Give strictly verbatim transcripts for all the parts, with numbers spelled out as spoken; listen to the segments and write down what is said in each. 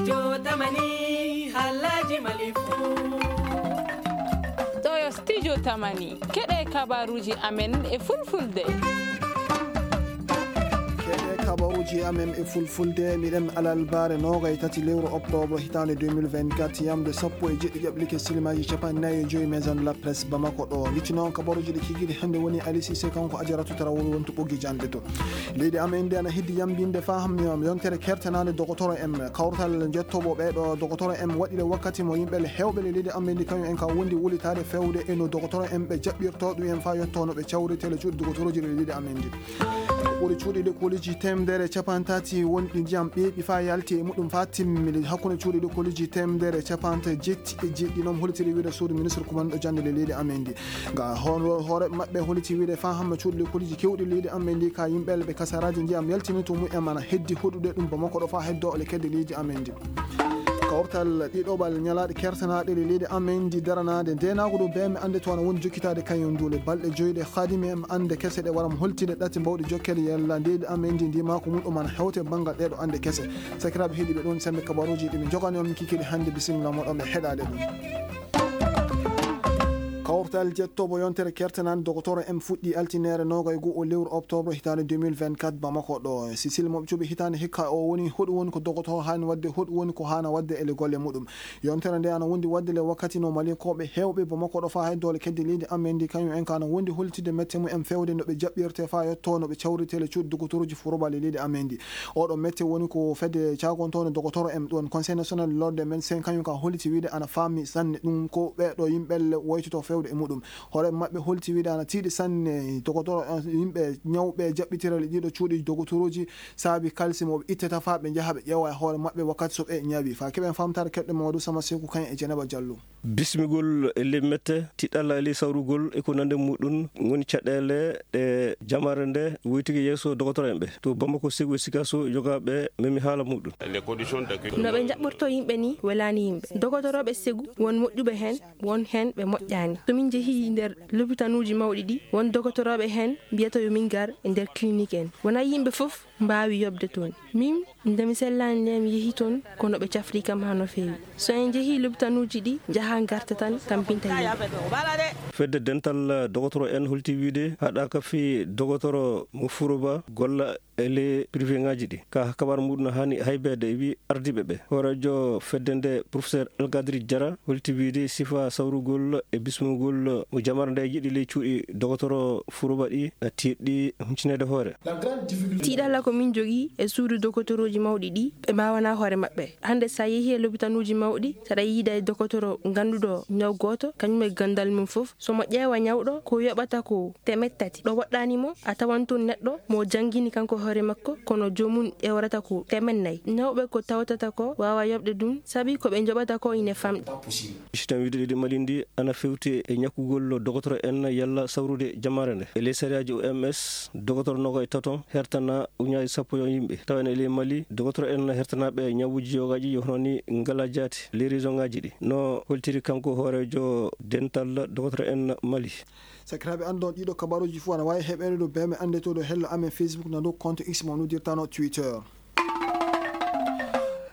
Yo tamani halaji mali fu. Ɗo yo studio tamani. Keɗe kabaruji amen e fulfulde. Keɗe kabaruji amen e fulfulde, miɗen alarbaare noogay tati lewru oktoobre hitaande deux mille vingt-quatre, yamde sappo e jeɗɗi ƴaɓlike silimaaji capanɗe nayi e joy maison de la presse Bamako ɗo. Littino on kabaruji ɗi kikiiɗe hannde woni Ali Cissé, kanko Ajaratu Tarawol wonto ɓoggi jannde to. Leydi amen ndi ana heddi yambinde faa hammi on yontere kertanaande dogotoro en. Kawtal njettooɓo ɓee ɗo dogotoro en waɗi le wakkati mo yimɓe le heewɓe le leydi amen ndi kañum en ka wondi wulitaade fewde e no dogotoro en ɓe jaɓɓirtoo ɗum en faa yottoo no ɓe cawritee le cuuɗi dogotorooji le leydi amen ndi. Ɓuri cuuɗi lekkoliiji teemedere capanɗe tati wonɗi ndiyam ɓeeɓi faa yalti e muɗum faa timmi. Hakkunde cuuɗi lekkoliiji teemedere capanɗe jetti e jeɗɗi noon holtiri wiide suudu ministre kumanɗo jannde le leydi amen ndi. Ga hoore maɓɓe holiti wiide faa hamma cuuɗi lekkoliiji keewɗi leydi amen ndi ka yimɓe ɓe kasaraaji ndiyam yaltini to mumen ana heddi hoɗude ɗum Bamako ɗo faa heddoo le kedde leydi amen ndi. Kawtal ɗiɗoɓal ñalaaɗe kertanaaɗe le leydi amen ndi daranaade ndeenaagu ɗo bee mi annde to ana woni jokkitaade kañum ndu le balɗe joy ɗe haadimi en annde kese ɗe wara mo holtinde ɗate mbawɗe jokkere yalla leydi amen ndi ndimaaku muɗum ana hewte banngal ɗee ɗo annde kese. Sakiraaɓe heɗiiɓe ɗoon sembe kabaruuji ɗi mi jogani on mi kikiiɗe hannde bisimilla moɗon ɓe heɗaade ɗum. Kawtal jettoobo yontere kertanaan dogotoro en fuɗɗi altineere noogay goo o lewru oktoobre hitaande deux mille vingt-quatre Bamako ɗo. Sisil mo ɓe cuɓi hitaande hikka o woni hoɗum woni ko dogotoro haani waɗde, hoɗum woni ko haana waɗde e le golle muɗum. Yontere nde ana wondi waɗde le wakkati no Malinkooɓe heewɓe Bamako ɗo faa hay doole kedde leydi amen ndi kañum en ka ana wondi holtide mette mumen fewde no ɓe jaɓɓirtee faa yottoo no ɓe cawritee le cuuɗi dogotorooji forobaali leydi amen ndi. Oɗo mette woni ko fedde caagontoonde dogotoro en ɗon Conseil national de l'ordre des médecins kañum ka holiti wiide ana faami sanne ɗum ko ɓee ɗo yimɓe le woytotoo fewde e muɗum. Hoore maɓɓe holti wiide ana tiiɗi sanne dogotoro yimɓe ñawɓe jaɓɓitirale ɗiɗo cuuɗi dogotorooji saabi kalsi mo ɓe ittata faa ɓe njaha ɓe ƴeewa e hoore maɓɓe wakkati so ɓe ñawi. Faa keɓen faamtaare keɗɗo Mamadou Sama Seku kañum e Jenaba Jallo. Bismigol e ley mette, tiɗalla e ley sawrugol e ko nanndi muɗum ngoni caɗeele ɗe jamaare nde woytike yeeso dogotoro en ɓe. To Bamako, Segu e Sikaso, yogaaɓe memi haala muɗum. No ɓe njaɓɓortoo yimɓe nii welaani yimɓe. Dogotorooɓe Segu, won moƴƴuɓe heen, won heen ɓe moƴƴaani. So min njehii nder lopitaanuuji mawɗi ɗi, won dogotorooɓe heen mbiyata yo min ngar e nder clinique en. Wonaa yimɓe fof mbaawi yoɓde toon. Min, nde mi sellaani ndee, mi yehi toon, kono ɓe cafri kam haa no feewi. So en njehii lopitaanuuji ɗi, njahaa ngarta tan, tampinta yimɓe. Fedde dental dogotoro en holti wiide haɗaaka fii dogotoro mo Furoba golla e ley privé ŋaaji ɗi. Ka kabaar muɗum haani haybeede e wii ardiiɓe ɓe. Hooreejo fedde nde, Professeur Algadri Jara, holti wiide sifaa sawrugol e bismugol mo jamaare nde yiɗi ley cuuɗi dogotoro Furoba ɗi na tiiɗɗi huncineede hoore. Tiiɗalla ko min njogii e suudu dogotorooji mawɗi ɗi, ɓe mbaawanaa hoore maɓɓe. Hannde, so a yehii e lopitaanuuji mawɗi, so aɗa yiida e dogotoro ngannduɗo ñaw gooto, kañum e ganndal mum fof, so mo ƴeewa ñawɗo, ko yoɓata ko teemeɗɗe tati. Ɗo woɗɗaani mo, a tawan toon neɗɗo mo janngini kanko hoore makko, kono joomum ƴeewrata ko teemeɗɗe nayi. Ñawɓe ko tawtata ko waawaa yoɓde ɗum, sabi ko ɓe njoɓata ko ine famɗi. Si tawii wiide leydi Mali ndi ana fewti e ñakkugol dogotoro en yalla sawrude jamaare nde. E ley sariyaaji O M S, dogotoro noogay tato hertana ujunnaaji sappo e yimɓe. Tawa en e ley Mali, dogotoro en hertanaaɓe ñawuuji yogaaji yo hono nii ngalaa jaati ley région ŋaaji ɗi. No holtiri kanko hooreejo dental dogotoro en Mali. Sakiraaɓe, anndon ɗiɗo kabaruuji fof ana waawi heɓeede ɗo bee mi annde to ɗo hello amen Facebook na dow compte X mo noddirtano Twitter.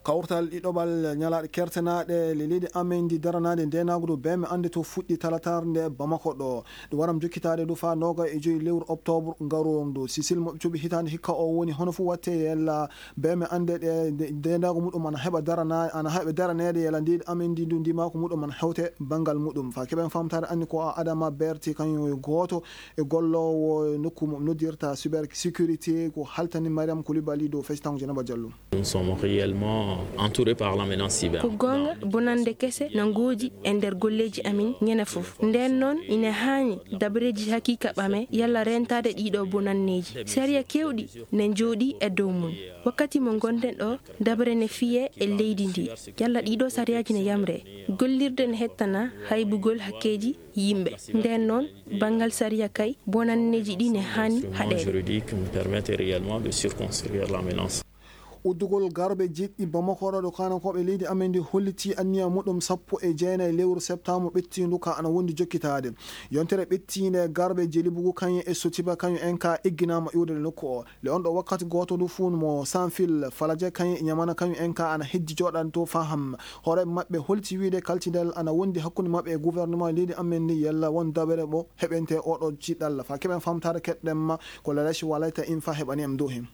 Kawtal ɗiɗoɓal ñalaaɗe kertanaaɗe le leydi amen ndi daranaade ndeenaagu ɗo bee mi annde to fuɗɗi talatar nde Bamako ɗo. Ɗum waram jokkitaade ɗo faa nooga e joyi lewru oktoobre ngaroon ɗo. Sisil mo ɓe cuɓi hitaande hikka o woni hono fof watte yella bee mi annde ɗe nde-, ndeenaagu muɗum ana heɓa darana-, ana heɓa daraneede yella leydi amen ndi ndu ndimaaku muɗum ana hewte banngal muɗum. Faa keɓen faamtaare anni ko a Adama Berti kañum e gooto e golloowo nokku mo noddirta cyber sécurité ko haltani Mariam Koulibaly dow fectango Jenaba Jallo. Nous sommes réellement entourés par la menace cyber. Ko goonga, bonannde kese na ngoodi e nder golleeji amin ñande fof. Ndeen noon, ina haani dabareeji hakiika ɓame yalla reentaade ɗiiɗoo bonanneeji. Sariya keewɗi ne njooɗii e dow mum. Wakkati mo ngonɗen ɗoo, dabare ne fiyee e leydi ndii. Yalla ɗiiɗoo sariyaaji ne yamree. Gollirde ne hettana haybugol hakkeeji yimɓe. Ndeen noon, banngal sariya kay, bonanneeji ɗii ne haani haɗeede. Juridique nous permettent réellement de circonscrire la menace. Uddugol garbe jiɗɗi Bamako ɗo, ɗo kaanankooɓe leydi amen ndi hollitii anniya muɗum sappo e jeenayi lewru septaambar ɓettiindu ka ana wondi jokkitaade. Yontere ɓettiinde garbe Jelibugu kañum e Sotiba kañum en ka egginaama iwde e nokku o. Le on ɗo wakkati gooto ndu fuun mo Sanfil, Falaje kañum e Ñamana kañum en ka ana heddi jooɗaade to faham. Hoore maɓɓe hollitii wiide kaltidal ana wondi hakkunde maɓɓe e gouvernement leydi amen ndi yalla won dabere mo heɓente oɗo ciɗɗalla. Fa keɓen famtaare keɗɗen ma ko Lalaci Walayta in fa heɓani en dow hen.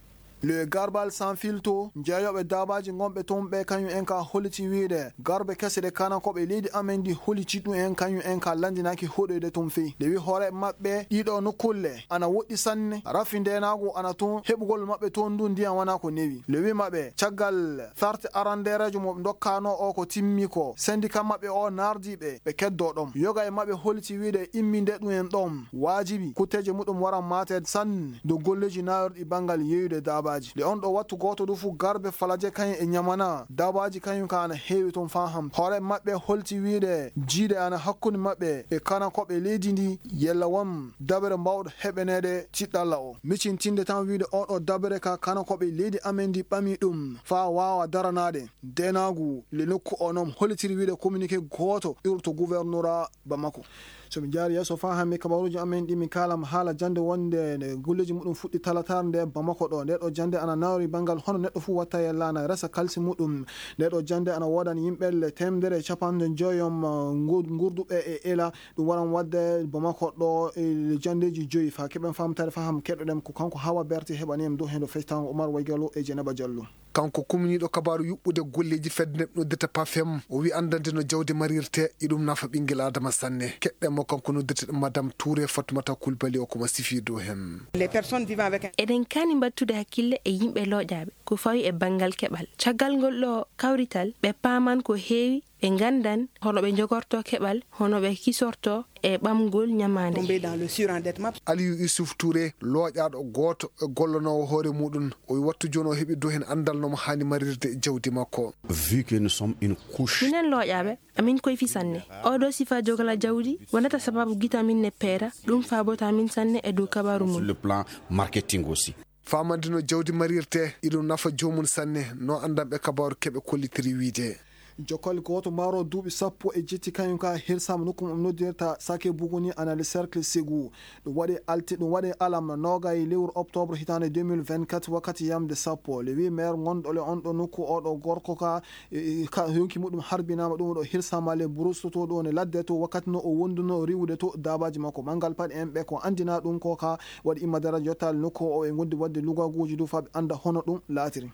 Le Garbal Sanfil to, jeeyooɓe daabaaji ngonɓe toon ɓe kañum en ka holliti wiide, garbe kese ɗe kaanankooɓe leydi amen ndi holliti ɗum en kañum en ka lanndinaaki hoɗoyde toon fey. Nde wi hoore maɓɓe, ɗiɗo nokkulle ana woɗɗi sanne, rafi ndeenaagu ana toon, heɓugol maɓɓe toon ndun ndiyan wanaa ko newi. Le wi maɓɓe, caggal sarte arandeereejo mo ɓe ndokkaanoo o ko timmi ko, sendika maɓɓe o naardii ɓe, ɓe keddoo ɗon. Yoga e maɓɓe holliti wiide imminde ɗum en ɗon, waajibi, kutteeje muɗum waran maateede sanne dow golleeji naayorɗi banngal yeeyude daabaaji. Nde on ɗoo wattu gooto ɗum fuu garbe Falaje kañum e Ñamana, daabaaji kañum kaa ana heewi toon faa hanti. Hoore maɓɓe holliti wiide jiiɗe ana hakkunde maɓɓe e kaanankooɓe leydi ndii, yella won dabere mbaawɗo heɓaneede tiɗɗalla o. Micintinde tan wiide oo ɗoo dabere ka kaanankooɓe leydi amen ndii ɓamii ɗum faa waawa daranaade. Ndeenaagu le nokku oo non hollitiri wiide communiqué gooto iwruɗo to gouvernora Bamako. So mi jaari yeeso faa hannde kabaruuji amen ɗi mi kaalan haala jannde wonnde nde golleeji muɗum fuɗɗi talataare nde Bamako ɗoo. Ndee ɗoo jannde ana nawri banngal hono neɗɗo fuu watta yalla ana resa kalsi muɗum. Ndee ɗoo jannde ana woodani yimɓe le teemedere e capanɗe joyom, uh, ngu-, ngurduɓe e ela. Ɗum waran waɗde Bamako ɗoo e janndeeji joyi. Faa keɓen faamtaare faham keɗoɗen ko kanko Hawa Berti heɓani en dow heen ɗo fectaango Umar Waygalo e Jenaba Jallo. Kanko kumniiɗo kabaaru yuɓɓude golleeji fedde neɗɗo noddirta pafem, o wi'i anndande no jawdi marirtee, iɗum nafa ɓinngel Aadama sanne. Keɗɗen mo kanko noddirteɗo Madame Touré Fatoumata Coulibaly o ko mo sifii dow heen. Les personnes vivant avec un Eɗen kaani mbaɗtude hakkille e yimɓe looƴaaɓe ko fawi e banngal keɓal. Caggal ngol ɗoo kawrital, ɓe paaman ko heewi, ɓe nganndan hono ɓe njogortoo keɓal, hono ɓe kisortoo e ɓamgol ñamaande. Tombé dans le surendettement. Aliou Youssouf Touré, looƴaaɗo gooto e gollanoowo hoore muɗum, o wi'i wattu jooni o heɓi dow heen anndal no mo haani marirde jawdi makko. Vu que nous sommes une couche. Minen looƴaaɓe, amin koyfi sanne. Ooɗoo sifaa jogla jawdi wonata sababu gite amin ne peera, ɗum faabota min sanne e dow kabaaru mum. Sur le plan marketing aussi. Faamande no jawdi marirtee, iɗum nafa joomum sanne, no anndanɓe kabaaru keɓe kollitiri wiide. Jokkal gooto maaro duuɓi sappo e jetti kañum ka hirsaama nokku mum noddirta Sake Buguni ana le Cercle Ségou. Ɗum waɗi alti-, ɗum waɗi alam noogay lewru octobre hitaande deux mille vingt-quatre wakkati yamde sappo. Le huit maire ngonɗo le on ɗo nokku oo ɗo gorko ka, e, e, ka yonki muɗum harbinaama ɗum ɗo hirsaama le Brousse to ɗo ne ladde to wakkati no o wonduno riwude to daabaaji makko. Manngal paɗe en ɓe ko anndinaa ɗum ko ka waɗi imma daraja yottaali nokku o e ngondi waɗde lugaguuji du faa ɓe annda hono ɗum laatiri.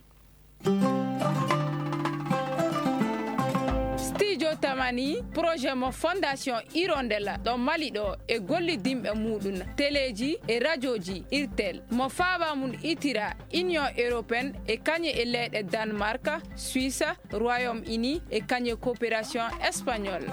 Studio Tamani, projet mo Fondation Hirondella ɗo Mali ɗo e gollidinɓe muɗum, teleeji e rajooji Irtel, mo faaba mum itira Union Européenne e kañe e leyɗe Danemark, Suisse, Royaume-Uni e kañe coopération espagnole.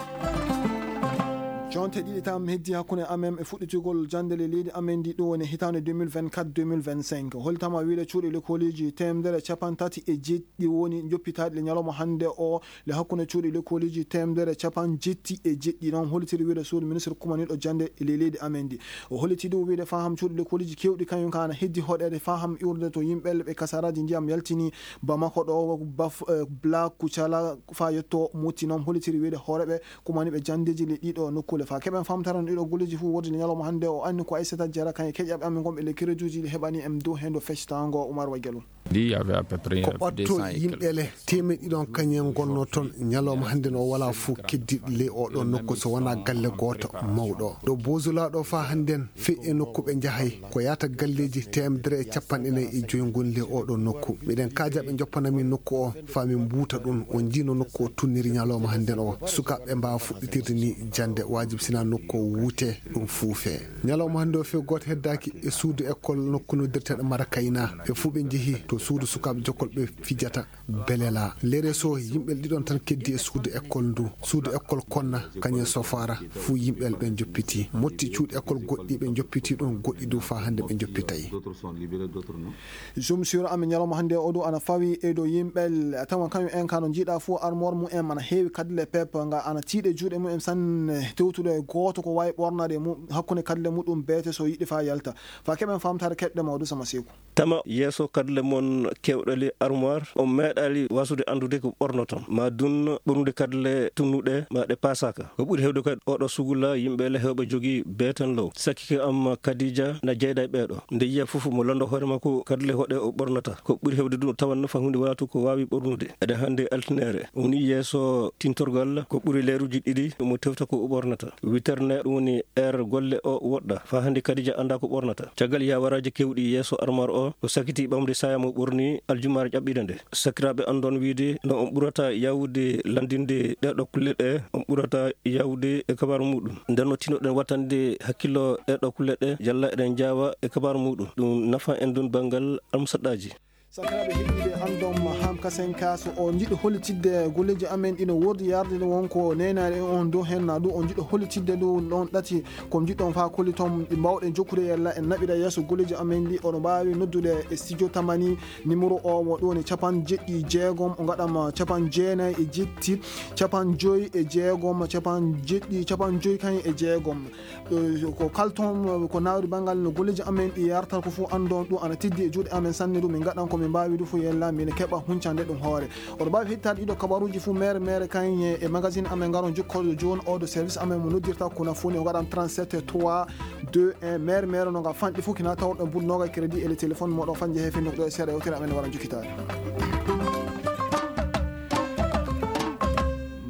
Jonte ɗiɗi tan heddi hakkunde amen e fuɗɗitigol jannde le leydi amen ndi ɗum woni hitaande deux mille vingt-quatre deux mille vingt-cinq. Holtama wiide cuuɗi lekkooliji teemedere capanɗe tati e jeeɗiɗi woni joppitaaɗi le ñalawma hannde o le hakkunde cuuɗi lekkooliji teemedere capanɗe jeeɗiɗi e jeeɗiɗi. Noon hollitiri wiide suudu ministre kumaniiɗo jannde e ley leydi amen ndi. O hollitii ɗum wiide faham cuuɗi lekkooliji keewɗi kañum kaa ana heddi hoɗeede faham iwrude to yimɓe ɓe kasaraaji ndiyam yaltini Bamako ɗo, Baf-, eh, Bla Kucala faa yetto Motti. Noon hollitiri wiide hooreeɓe kumaniiɓe janndeeji le ɗiɗo nokkuule. Faa keɓen famtara no ɗiɗo golleeji fof woodi le ñalawma hannde o anni ko Aissata Diarra kañum e keƴaɓe amen gonɓe le Kérédouji le heɓani en dow heen ɗo fectaango Oumar Waygalo. Ndi y avait à peu près Ko ɓatto deux cents et yimɓe quelques le teemeɗɗe ɗiɗi on kañum en ngonnoo toon. Ñalawma hannde no walaa fof keddiiɗo ley oo ɗoo nokku so wonaa galle gooto mawɗo. Ɗo Bozula ɗo faa hannden fii e nokku ɓe njahay ko yaata galleeji teemedere e capanɗe nayi e joy ngoni ley oo ɗoo nokku. Miɗen kaajaa ɓe njoppana min nokku oo faa min mbuuta ɗum. On njii no nokku oo tunniri ñalawma hannden oo. Sukaaɓe mbaawa fuɗɗitirde nii jannde, waajib sinaa nokku oo wuutee, ɗum fuufee. Ñalawma hannde oo fii gooto heddaaki e suudu ekkol nokku noddirteeɗo Marakayna. Ɓe fuu ɓe njehii to suudu sukaaɓe jokkol ɓe fijata Belela. Lereso yimɓe ɗiɗon tan keddii e suudu ekkol ndu. Suudu ekkol Konna, kañum e Sofara, fuu yimɓe ɓe njoppitii. Motti cuuɗi ekkol goɗɗi ɓe njoppitii ɗum, goɗɗi du faa hannde ɓe njoppitay. Jom siro amen ñalawma hannde oo ɗoo ana fawi e dow yimɓe tawa kañum en kaa no njiiɗaa fof armoire mum en ana heewi kadi le pep nga ana tiiɗe juuɗe mum en sanne tewtude e gooto ko waawi ɓornaade e mum hakkunde kadi le muɗum beete so yiɗi faa yalta. Faa keɓen faamtaare keɗɗe mawɗo sama seeku. Tama yeeso kadi le mo on keewɗali armoire, on meeɗaali waasude anndude ko ɓornoton, maa dun ɓornude kadle tunnuɗe, maa ɗe paasaaka. Ko ɓuri heewde kadi ooɗoo sugula, yimɓe le heewɓe jogii beeten low. Sakiike am Kadija na jeyda e ɓeeɗo. Nde yiya fof mo lando hoore makko kadle hoɗe o ɓornata. Ko ɓuri heewde dun o tawan no fa huunde wala to ko waawi ɓornude. Eɗen hannde altineere. O woni yeeso tintorgal ko ɓuri leeruuji ɗiɗi mo tewta ko o ɓornata. Witerne ɗum woni heure golle o woɗɗa. Faa hannde Kadija anndaa ko ɓornata. Caggal yaawaraaji keewɗi yeeso armoire o, o sakitii ɓamde saaya mo ɓorni aljumaare ƴaɓɓiinde nde. Sakiraaɓe anndon wiide no on ɓurata yaawude lanndinde ɗeeɗoo kulle ɗe, on ɓurata yaawude e kabaaru muuɗum. Nden no tinnoɗen wattande hakkillo ɗeeɗoo kulle ɗe, yalla eɗen njaawa e kabaaru muuɗum. Ɗum nafa en ɗum banngal almusaɗɗaaji. Sakiraaɓe heɗiiɓe, anndon Ham Kasen ka, so on njiɗɗo hollitidde golleeji amen ɗi no woodi yarde ɗo won ko neenaade e on dow hen, naa ɗum on njiɗɗo hollitidde ɗum ɗon ɗati ko njiɗɗon faa kolliton ɗi mbaawɗen jokkude yalla en naɓira yeeso golleeji amen ɗi, oɗon mbaawi noddude e studio Tamani, numéro o mo ɗum woni capanɗe jeɗɗi e jeegom, o ngaɗam capanɗe jeenayi e jetti, capanɗe joyi e jeegom, capanɗe jeɗɗi, capanɗe joyi kañ e jeegom. Eh, ko kala toon, eh, ko nawri banngal no golleeji amen ɗi yarta ko fof anndon ɗum ana teddi e juuɗe amen sanne ɗum min ngaɗan ko min mbaawi ɗum fof yella min keɓa huncande ɗum hoore. Oɗo mbaawi heɗitaade ɗiɗo kabaruuji fof mere mere kañ e magazine amen ngaron jokkooɗo jooni oɗo service amen mo noddirta kuna foni o ngaɗan trente-sept trois deux un mere mere no nga fanɗi fof kina tawɗo buɗ noga crédit e le téléphone moɗo fanje he fenndo ɗo e seeɗa yewtere amen wara jokkitaade.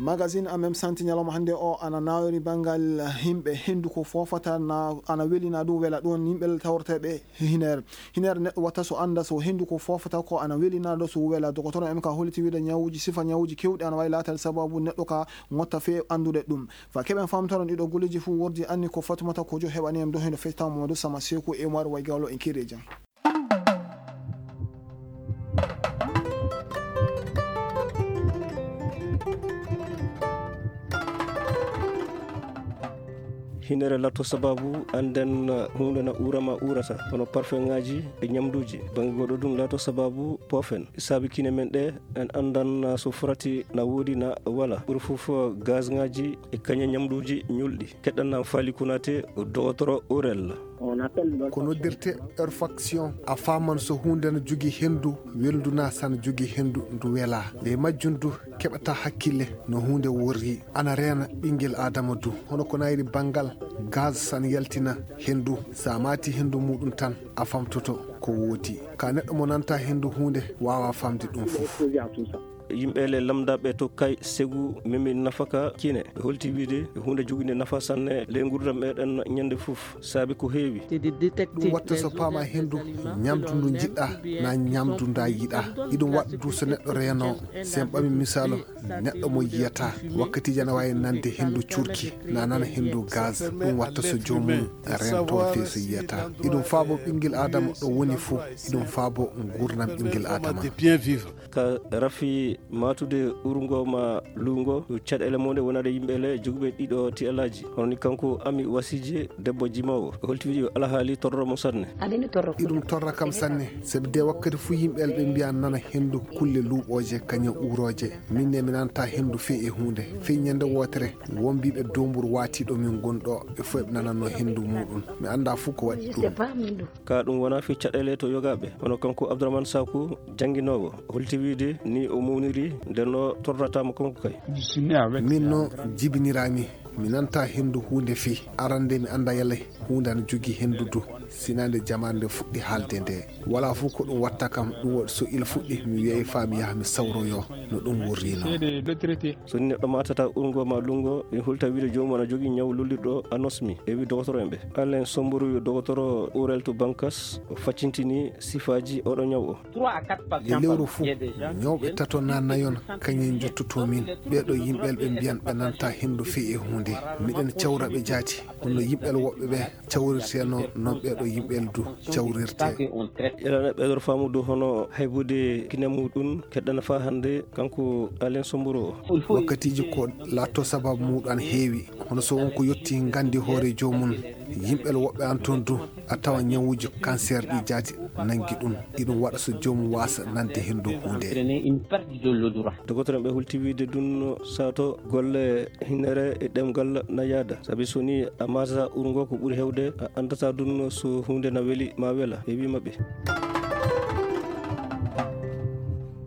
Magazine amen santi ñalawma hannde o ana nawri banngal yimɓe henndu ko foofata na ana welina ɗum wela ɗum yimɓe tawreteeɓe hineere. Hineere neɗɗo watta so annda so henndu ko foofata ko ana welina ɗo so wela. Dogotoro en ka holliti wiide ñawuuji sifa ñawuuji keewɗi ana waawi laataade sababu neɗɗo ka ŋotta fee anndude ɗum. Fa keɓen famtoron ɗiɗo golleeji fof wordi anni ko Fatumata Kojo heɓani en ɗo heno fecta Mamadou Sama Seku e Umar Waygalo en kiire jam. Hinere lato sababu annden huunde na uura ma uurata, hono parfeŋaaji e ñamduuji. Bannge goɗɗo ɗum lato sababu poofen. Saabi kine men ɗe, en anndan so frati na woodi na wala. Ɓuri fof gazŋaaji e kañe ñamduuji ñulɗi. Keɗɗan nam Faali Kunaate, dogotoro Urel. Ko noddirte olfaction. A faaman so huunde na jogii henndu welndu naa sana jogii henndu ndu welaa. Ley majjum du keɓataa hakkille no huunde worri. Ana reena ɓinngel Aadama du. Hono ko nayri banngal gaz sana yaltina henndu. So a maati henndu muuɗum tan a famtoto ko woodi. Ka neɗɗo mo nantaa henndu huunde waawaa famde ɗum fof. Yimɓe le lamndaaɓe to kay segu memi nafaka kine. Ɓe holti wiide ko huunde jogiinde nafa sanne ley nguurndam meɗen ñande fof, saabi ko heewi. Ɗum watta so paama henndu, ñamdu ndu njiɗɗa, naa ñamdu nda yiɗa. Iɗum waɗa du so neɗɗo reeno, sen ɓami misaalu, neɗɗo mo yiyata, wakkatiiji ana waawi nande henndu cuurki, na nana henndu gaz. Ɗum watta so joomum rento fee so yiyata. Iɗum faabo ɓinngel Aadama ɗo woni fof, iɗum faabo nguurndam ɓinngel Aadama. Ka rafi maatude urngo ma luungo, caɗeele mum ɗe wonande yimɓe le jogiiɓe ɗiɗo ti'alaaji. Hono ni kanko Ami Wasije, debbo jimoowo. O holti wiide yo alhaali torra mo sanne. Iɗum torra kam sanne, sabi de wakkati fuu yimɓe le ɓe mbiya nana henndu kulle luuɓooje kañe uurooje. Min ne mi nanataa henndu fey e huunde. Fey ñande wootere, won mbiiɓe doomburu waatiiɗo min ngon ɗo, ɓe fof ɓe nanannoo henndu muuɗum. Mi anndaa fuu ko waɗi ɗum. Ka ɗum wonaa fii caɗeele to yogaaɓe, hono kanko Abdourahmane Saku, jannginoowo, holti wiide ni o mawniri, nden o torrataa mo kanko kay. Min no jibiniraami, mi nantaa henndu huunde fii. Arande mi anndaa yalla huunde ana jogii henndu du, sinaa nde jamaare nde fuɗɗi haalde nde. Walaa fof ko ɗum watta kam, ɗum waɗi so il fuɗɗi, mi wiyay faa mi yaha mi sawroyoo no ɗum wurrinoo. So ni neɗɗo maatataa urngo maa lunngo, ɓe hulta wiide joomum ana jogii ñaw lollirɗo anosmi, e wi dogotoro en ɓe. Alain Somburu yo dogotoro Urel to Bankas, o faccintinii sifaaji oɗo ñaw o. E lewru fuu, ñawɓe tato naa nayon kañum njottotoo min. Ɓee ɗoo yimɓe ɓe mbiyan ɓe nantaa henndu fii e huunde. Miɗen cawra ɓe jaati, hono yimɓe woɓɓe ɓe cawrirteenoo, non ɓee ɗoo yimɓe du cawrirtee. Yalana ɓeydor faamu dow hono haybude kine muuɗum keɗɗana faa hannde kanko Alain Somburu o. Wakkatiiji ko laatoo sababu muuɗum ana heewi, hono so won ko yottii nganndi hoore joomum, yimɓe woɓɓe ana toon du, a tawa ñawuuji kanseer ɗi jaati nanngi ɗum. Iɗum waɗa so joomum waasa nande henndu huunde. Dogotoro en ɓe hulti wiide ɗum sato golle hinere e ɗemngal na yaada. Sabi so ni a maatataa urngo ko ɓuri heewde, a anndataa ɗum so huunde na weli maa wela, e wii maɓɓe.